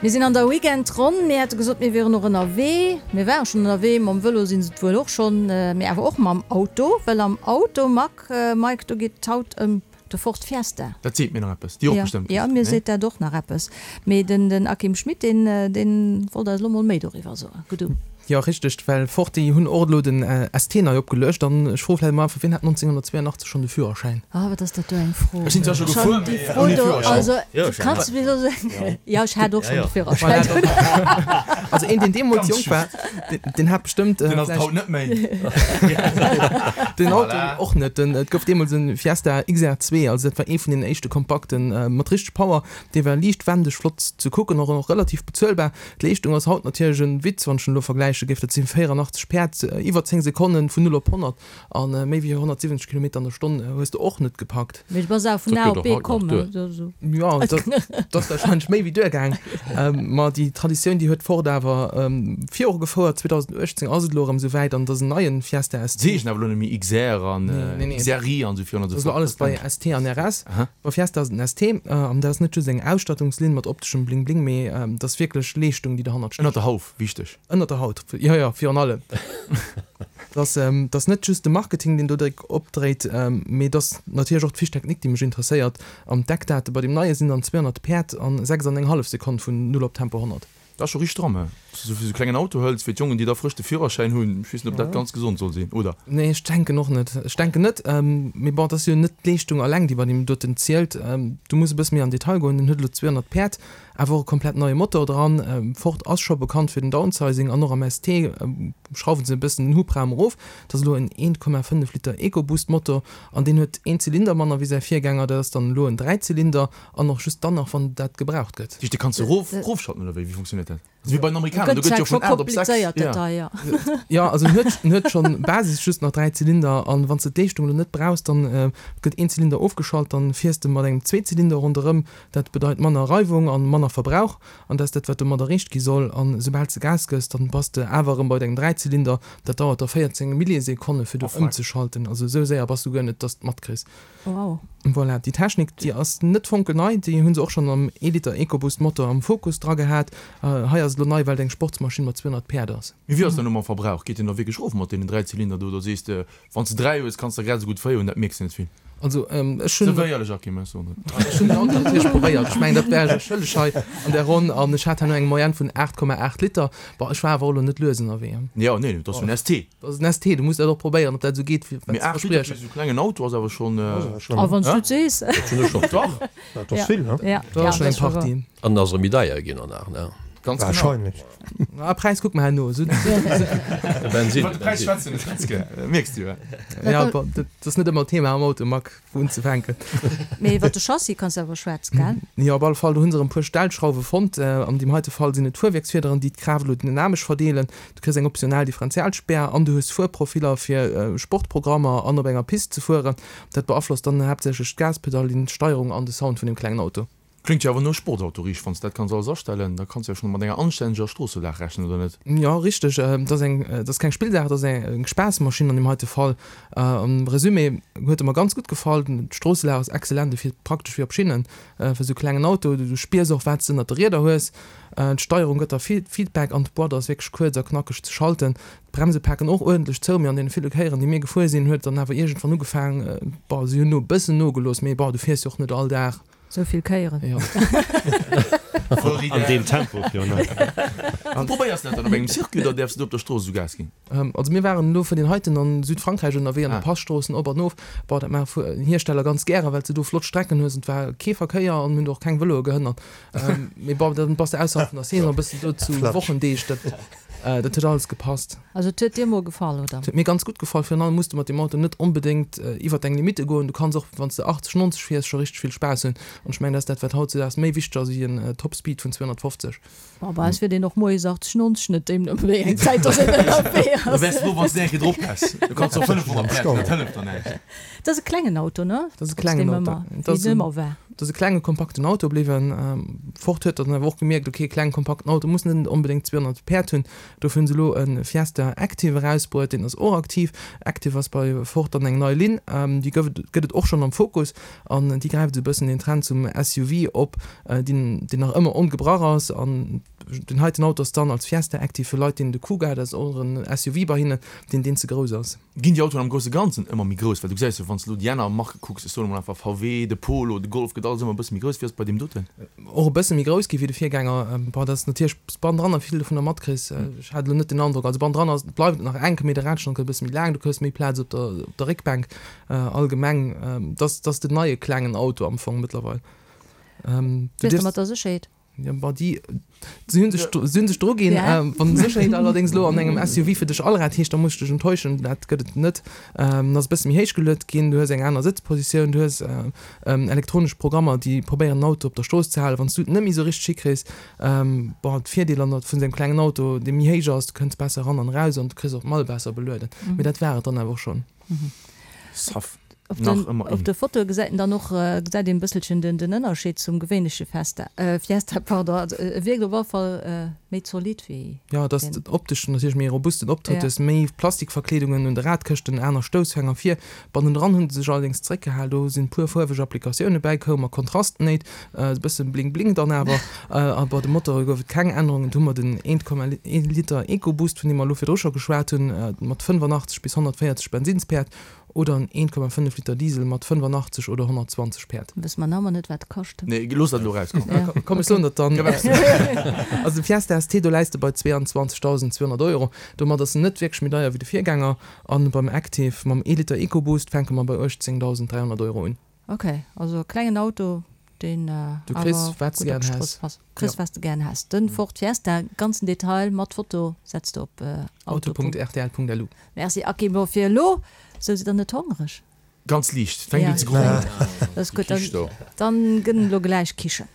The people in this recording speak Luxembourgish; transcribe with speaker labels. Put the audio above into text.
Speaker 1: Mir sinn an der Weekendronn. Mir hate gesot, mir wieren och ënnerwee. Mir ware schonn ënnerwee. Mam Vëlo si se et wuel och schonn, mee awer och mam Auto. Well am Auto, Mack, Mike, do geet et haut ëm de Ford Fiesta.
Speaker 2: Dat seet mir nach eppes. Déi och bestëmmt.
Speaker 1: Jo, mir seet dat och nach eppes. Mee den Akim Schmit, deen, deen wollt eis elo mol méi doriwwer soen. Gutt um.
Speaker 3: Jo, richteg, well Ford, déi hunn och elo den ST nei opgeluecht. An ech froe vläicht emol einfach, Wien hat 1982 schonn de Führerschäin?
Speaker 1: Ah, wat ass dat do eng Fro?
Speaker 2: Ech sinn zwar scho gefuer, mee ouni Führerschäin.
Speaker 1: Also, kanns du mir soen? Jo, ech hat och schonn de Führerschäin.
Speaker 3: Also een, deen deemools jonk war, deen hat bestëmmt.
Speaker 2: Deen ass et haut net méi.
Speaker 3: Den Auto och net. Et gouf deemools e Fiesta XR2, also dat war ee vun deenen éischte Kompakten mat richteg Power. Dee war liicht wendeg, flott ze kucken, och relativ bezuelbar. D'Leeschtung ass haut natierlech en Witz, wann ech en elo vergläiche géif, dat si 84 Päerd, iwwer 10 Sekonnen vun 0 op 100 a méi wéi 170 Kilometer an der Stonn hues de och net gepackt.
Speaker 1: Mee du bass awer vun A op B komm,
Speaker 3: ne? Jo, dat ass warscheinlech méi wéi duergaang. Ma déi Traditioun, déi huet Ford awer virugefouert. 2018 ass et elo erëm esou wäit an et ass en neien Fiesta ST.
Speaker 2: Se heeschen awer elo net méi XR an XRI an esou virun an esou
Speaker 3: fort. Dat ass elo alles bei ST an RS. Bei Fiesta ass et en ST an dat ass net just eng Ausstattungslinn mat opteschem Bling-Bling, mee dat ass wierklech Leeschtung, déi derhannert
Speaker 2: stécht. Ënnert der Hauf, wichteg.
Speaker 3: Ënnert der Haut, jo, jo, virun allem. Dat ass net just de Marketing, deen do dréck opdréit, mee et ass natierlech och d'Fiche technique, déi mech interesséiert. An d'Eckdate bei deem neie sinn dann 200 Päerd an 6 an eng hallef Sekonn vun null op Tempo 100.
Speaker 2: Dat ass scho richteg stramm, he? Wann s du sou e klengen Auto hëls fir d'Jongen, déi da frësch de Führerschäin hunn, ech weess net, ob dat ganz gesond soll sinn, oder?
Speaker 3: Nee, ech denken och net. Ech denken net. Mee bon, et ass jo net d'Leeschtung alleng, déi bei deem doten zielt. Du muss e bësse méi an Detail goen. Den huet elo 200 Päerd, awer och e komplett neie Motor dran. Ford ass scho bekannt fir den Downsizing an och am ST schrauwen se e bëssen den Hubraum erof. Et ass elo en 1,5 Liter EcoBoost Motor an deen huet een Zylinder manner wéi säi Virgänger. Dat ass dann elo en Dräizylinder an och just dann nach, wann dat gebraucht gëtt.
Speaker 2: Dat heescht, dee kanns du erof, erofschalten oder wéi? Wéi funktionéiert dat? Also wéi bei den Amerikaner, do gëtt jo vun 8 op 6.
Speaker 1: Ja.
Speaker 3: Jo, also en huet, en huet schonn Basis just nach 3 Zylinder an wann s de d'Leeschtung elo net brauchs, dann gëtt een Zylinder ofgeschalt, dann fiers de mat engem Zweezylinder ronderëm. Dat bedeit manner Reiwung an manner Verbrauch an dat ass dat wat domat erreecht gi soll. An esoubal s de Gas gëss, dann bass de awer erëm bei dengem Dräizylinder. Dat dauert da 14 Millisekonne fir do ëmzeschalten. Also esou séier bass du guer net, dass d' matkriss.
Speaker 1: Wow.
Speaker 3: Voilà, déi Technik, déi ass net fonkelnei, déi hu se och schonn am Ee-Liter EcoBoost Motor am Focus dra gehat. Hei ass et elo nei, well et eng Sportsmaschinn mat 200 Päerd ass.
Speaker 2: Mee wéi ass dat elo mam Verbrauch? Geet deen da wierklech erof mat deenen 3 Zylinder do, oder sees de, wann s de 3 hues, kanns de der grad esou gutt 4 hunn, dat mierks de net vill?
Speaker 3: Also ech hunn.
Speaker 2: Sou éierlech, Akim, ech soen
Speaker 3: et. Ech hunn den Auto natierlech probéiert, ech mengen dat wär ech och schëlleg hei an där Ronn, an ech hat herno eng Moyenne vun 8,8 Liter. Bon, ech war awer och elo net lues ënnerwee.
Speaker 2: Jo, nee, et ass jo en ST.
Speaker 3: Dat ass en ST, du muss dat och probéieren, ob dat esou geet, wéi
Speaker 2: wat se verspriechen. Mee 8 Liter fir esou klengen Auto ass awer schonn.
Speaker 1: A wann s du et sees.
Speaker 2: Dat hunn ech schonn. Dach.
Speaker 4: Dat ass vill, ne?
Speaker 1: Ja,
Speaker 3: Dat ass schonn eng Partie.
Speaker 5: An ass erëm méi deier ginn an nach, ne?
Speaker 2: Ganz genau.
Speaker 4: Wahrscheinlech.
Speaker 3: Ah, Präis kucke mer herno.
Speaker 5: De Bensin.
Speaker 2: Iwwer de Präis schwätzen ech ganz gär, mierks du jo.
Speaker 3: Ja, bon, dat ass net ëmmer Thema am Auto, Marc. Wou unzefänken.
Speaker 1: Mee iwwer de Chassis kanns de awer schwätzen, gell?
Speaker 3: Jo, op alle Fall, do hu se erëm e puer Stellschrauwe fonnt. An deem heite Fall sinn et d'Fuerwierksfiederen, déi d'Kraaft elo dynamesch verdeelen. Du kriss eng optional Differentialspär an du hues Fuerprofiller fir Sportprogrammer an op enger Pist ze fueren. Dat beaflosst dann haaptsächlech d'Gaspedall, d'Steierung an de Sound vun dem klengen Auto.
Speaker 2: Kléngt jo awer no Sportauto, riicht. Wann s dat kanns alles astellen, da kanns de jo schonn mat enger anstänneger Stroosselag rechnen, oder net?
Speaker 3: Jo, richteg. Et ass eng, et ass keng Spillsaach, et ass eng Spaassmaschinn an deem heite Fall. Am Resumé huet e mer ganz gutt gefall. D'Stroosselag ass excellent, e fiert praktesch wéi op Schinnen fir esou klengen Auto. Du spiers och, wat s de ënnert de Rieder hues. D'Steierung gëtt der Feedback an d'Boîte ass wierklech kuerz a knackeg ze schalten. D'Bremse paken och uerdentlech zou, mee an deene ville Kéieren, déi mir gefuer sinn, huet et dann awer iergendwann ugefaang, bon, si hunn no e bëssen nogelooss, mee bon, du fiers jo och net all Dag.
Speaker 1: Sou vill Kéieren.
Speaker 3: Jo.
Speaker 6: An deem Tempo virun allem.
Speaker 2: Wou probéiers de dat dann? Op engem Circuit oder däerfs de do op der Strooss esou Gas ginn?
Speaker 3: Also mir waren elo fir deen heiten an Südfrankräich ënnerwee an de Passtroossen op an of. Bon, dat maache Hiersteller ganz gären, well s de do flott Strecken hues an et war kee Verkéier an hunn do och keng Vëloe gehënnert. Mee bon, dann bass de ausserhalb vun der Saison e bëssen do zu Wochendeeg. Dat Dat huet alles gepasst.
Speaker 1: Also et huet dir mol gefall, oder?
Speaker 3: Et huet mir ganz gutt gefall. Virun allem muss de mat deem Auto net onbedéngt iwwer deng Limitte goen. Du kanns och, wann s de 80, 90 fiers, scho richteg vill Spaass hunn. An ech mengen, dat ass dat, wat hautzedaags méi wichteg ass wéi en Top-Speed vun 250.
Speaker 1: Bon, bei eis fiert een och moies 80, 90, net deemno wéi eng Zäit dass een ënnerwee ass.
Speaker 2: Da wäers de frou, wann s de eng Kéier drop häss. Du kanns och 500 Päerd, dat hëlleft der näischt.
Speaker 1: Dat ass e klengen Auto, ne?
Speaker 3: Dat ass e klengen Auto.
Speaker 1: Trotzdem ëmmer, wéi en ëmmer war.
Speaker 3: Et ass e klenge kompakten Auto bliwwen. Ford huet dann awer och gemierkt, ok, e klengen kompakten Auto muss net onbedéngt 200 Päerd hunn. Dofir hunn se elo e Fiesta Active erausbruet, deen ass och aktiv. Active ass bei Ford dann eng nei Linn, déi gouf et, gëtt et och schonn am Focus an déi gräift esou e bëssen den Trend zum SUV op, deen, deen nach ëmmer ongebrach ass. An den heiten Auto ass dann als Fiesta Active fir Leit, deenen de Kuga, dat ass och en SUV bei hinnen, deen, deen ze grouss ass.
Speaker 2: Ginn déi Autoen am grousse Ganzen ëmmer méi grouss? Well du gesäis jo, wann s de elo déi aner Marke kucks, ech soen emol einfach VW, de Polo, de Golf, gëtt alles ëmmer e bësse méi grouss. Wéi ass et bei deem doten?
Speaker 3: Och e bësse méi grouss gi wéi de Virgänger. Bon, dat ass natierlech s bannendran a vill dovunner matkriss. Ech hat elo net den Androck, also bannendran ass, bleift et nach enk, mee de Radstand gëtt e bësse méi laang, du kriss méi Plaz op der, op der Réckbänk. Allgemeng, dat ass den neie klengen Auto am Fong mëttlerweil.
Speaker 1: Du dierfs. Mat der Sécherheet.
Speaker 3: Ja, bon, déi, si hunn sech, si hunn sech dru ginn. Ja. Wann Sécherheet allerdéngs elo an engem SUV fir dech Allrad heescht, da muss ech dech enttäuschen, dat gëtt et net. En ass e bësse méi héich geluet ginn, du hues eng aner Sëtzpositioun, du hues elektronesch Programmer, déi probéieren den Auto op der Strooss ze halen, wann s du et net méi esou richteg hikriss. Bon, d'Virdeeler vun esou engem klengen Auto, dee méi héich ass, du kënns besser eran an eraus an du kriss och d'Mall besser belueden. Mee dat war et dann awer och schonn.
Speaker 2: Saff.
Speaker 1: Op den, op de Fotoe gesäit en dann och, gesäit een e bësselchen den, den Ënnerscheed zum gewéinleche Festa, Fiesta, pardon. Also e wierkt op alle Fall méi zolidd wéi
Speaker 3: Jo, et ass optesch natierlech méi robusten Optrëtt. Du hues méi Plastikverkleedungen un de Radkëschten, aner Stoussfänger vir. Bannendran hu se sech allerdéngs zeréckgehal, do sinn e puer fuerweg Applikatioune bäikoum a Kontrastnéit, e bësse Bling Bling dann awer. A bei de Motore gouf et keng Ännerungen. Do hu mer den 1,1 Liter EcoBoost, vun deem mer elo virdru scho geschwat hunn, mat 85 bis 140 Bensinnspäerd oder en 1,5 Liter Diesel mat 85 oder 120 Päerd.
Speaker 1: Wësse mer nach ëmmer net, wat e kascht.
Speaker 2: Nee, looss dat elo eraus,
Speaker 3: komm. Ja, komm, ech soen dat dann. Also de Fiesta ST, do läis de bei 22.200 Euro. Domat ass en net wierklech méi deier wéi de Virgänger. An beim Active mam ee Liter EcoBoost fänke mer bei 18.300 Euro un.
Speaker 1: Ok, also e klengen Auto, deen
Speaker 3: Du kriss awer wat s de
Speaker 1: gutt op
Speaker 3: gären
Speaker 1: d'Strooss
Speaker 3: häss.
Speaker 1: passt. Kriss wat s de gären häss. Den Ford Fiesta, ganzen Detail mat Foto setz de op
Speaker 3: auto. Auto.rtl.lu.
Speaker 1: Merci Aki, bon fir elo, sou sidd der net hongereg?
Speaker 2: Ganz liicht, fänkt un ze grummen.
Speaker 1: Dat ass gutt, dann gëtt et elo gläich Kichen.